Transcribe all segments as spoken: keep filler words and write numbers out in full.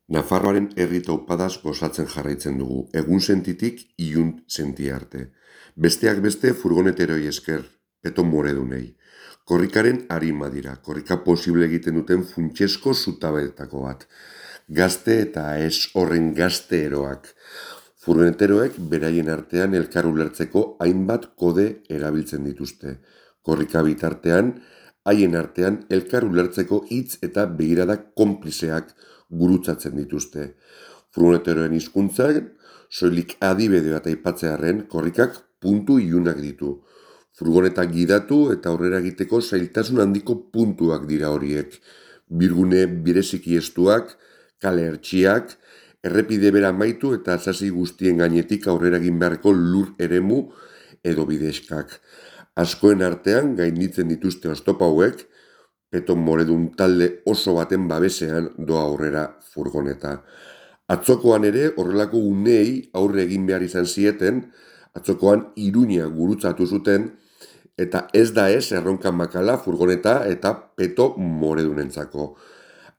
Nafarroaren herri taupadaz gozatzen jarraitzen dugu, egun sentitik ilun senti arte. Besteak beste furgoneteroi esker, peto moredunei. Korrikaren arima dira, korrika posible egiten duten funtsezko zutabeetako bat. Gazte eta ez horren gazte eroak. Furgoneteroek beraien artean elkar ulertzeko hainbat kode erabiltzen dituzte. Korrika bitartean, haien artean elkar ulertzeko hitz eta begiradak konplizeak gurutzatzen dituzte. Furgoneteroen hizkuntzan, soilik adibide bat aipatzearren, korrikak puntu ilunak ditu. Furgoneta gidatu eta aurrera egiteko zailtasun handiko puntuak dira horiek. Birgune bireziki estuak, kale hertsiak, errepide bera amaitu eta sasi guztien gainetik aurrera egin beharko lur eremu edo bidexkak. Askoen artean gainditzen dituzte oztopo hauek, peto moredun talde oso baten babesean doa aurrera furgoneta. Atzokoan ere horrelako uneei aurre egin behar izan zieten, atzokoan Iruña gurutzatu zuten, eta ez da ez erronkan makala furgoneta eta peto moredunentzako.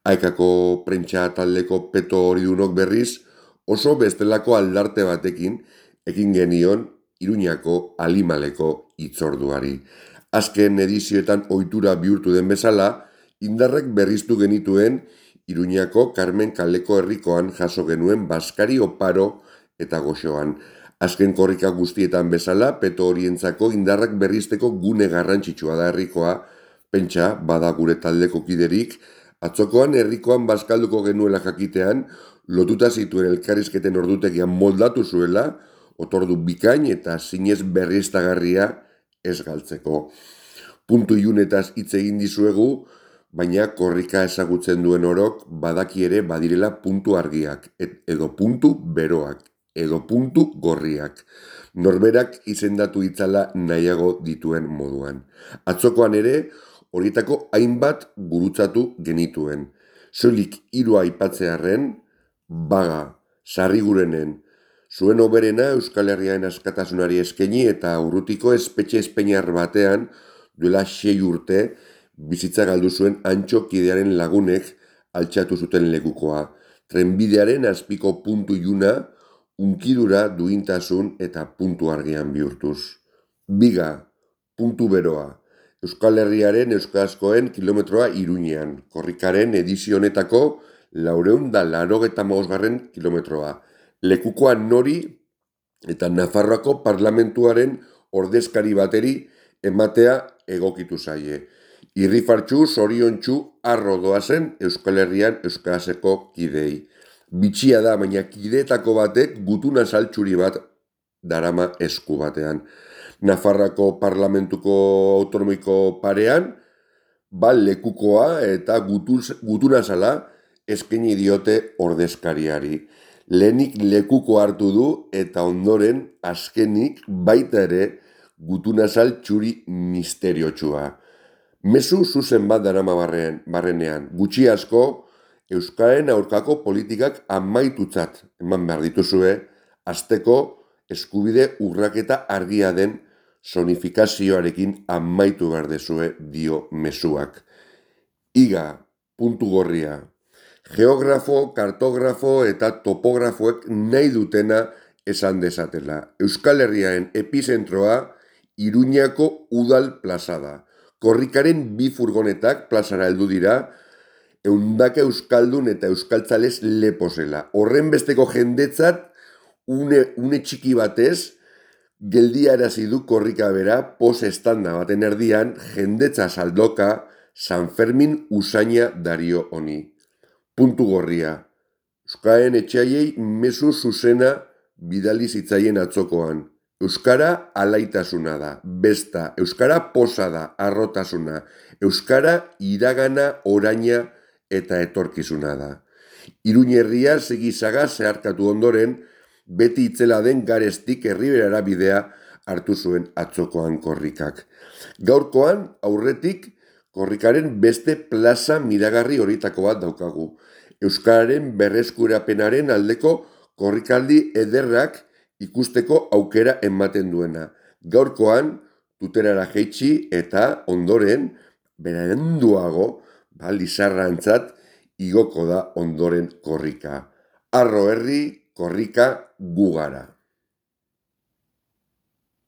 Aikako prentsa taldeko peto horidunok berriz oso bestelako aldarte batekin ekin genion Iruñako alimaleko hitzorduari. Azken edizioetan ohitura bihurtu den bezala, indarrek berriztu genituen Iruñako Carmen kaleko herrikoan jaso genuen baskari oparo eta goxoan. Azken korrika guztietan bezala, peto horientzako indarrak berrizteko gune garrantzitsua da herrikoa, pentsa bada gure taldeko kiderik, atzokoan herrikoan bazkalduko genuela jakitean, lotuta zituen elkarrizketen ordutegian moldatu zuela, otordu bikain eta zinez berriztagarria ez galtzeko. Puntu ilunetaz hitz egin dizuegu, baina korrika ezagutzen duen orok badaki ere badirela puntu argiak, edo puntu beroak, edo puntu gorriak. Norberak izendatu itzala nahiago dituen moduan. Atzokoan ere, horietako hainbat gurutzatu genituen. Soilik hiru aipatzearren, Baga, Sarrigurenen, zuen oberena Euskal Herriaren askatasunari eskaini eta urrutiko espetxe espeinar batean duela sei urte bizitza galdu zuen Antxo kidearen lagunek altxatu zuten lekukoa. Trenbidearen azpiko puntu iluna, unkidura duintasun eta puntu argian bihurtuz. Biga, puntu beroa. Euskal Herriaren euskarazkoen kilometroa Iruñean, korrikaren edizio honetako laurehun da laurogeita hamabosgarren kilometroa. Lekukoa nori eta Nafarroako parlamentuaren ordezkari bateri ematea egokitu zaie. Irrifartxu, zoriontsu, arro doazen Euskal Herrian euskarazeko kidei. Bitxia da, baina kideetako batek gutuna saltxuri bat darama esku batean. Nafarroako parlamentuko autonomiko parean, ba lekukoa eta gutuz, gutuna zala eskaini diote ordezkariari. Lehenik lekuko hartu du eta ondoren azkenik baita ere gutunazal txuri misteriotsua. Mezu zuzen bat darama barren, barrenean, gutxi asko Euskaren aurkako politikak amaitutzat eman behar dituzue, azteko eskubide urraketa argia den sonifikazioarekin amaitu behar dezue dio mezuak. Iga, puntu gorria. Geografo, kartografo eta topografoek nahi dutena esan dezatela. Euskal Herriaren epizentroa Iruñako udal plaza da. Korrikaren bi furgonetak plazara heldu dira, eundaka euskaldun eta euskaltzalez leposela. Horren besteko jendetzat, une, une txiki batez, geldiarazi du korrika bera, pos estanda baten erdian, jendetza saldoka, San Fermin usaina dario honi. Puntu gorria. Euskaren etxaiei mezu zuzena bidali zitzaien atzokoan. Euskara alaitasuna da, besta, euskara posa da, arrotasuna, euskara iragana, oraina eta etorkizuna da. Iruñerria segizaga zeharkatu ondoren, beti itzela den garestik herriberara bidea hartu zuen atzokoan korrikak. Gaurkoan, aurretik, korrikaren beste plaza miragarri horietako bat daukagu. Euskararen berreskurapenaren aldeko korrikaldi ederrak ikusteko aukera ematen duena. Gaurkoan, tuterara jeitsi eta ondoren, beranduago, ba, Lizarrantzat, igoko da ondoren korrika. Harro herri, korrika gu gara.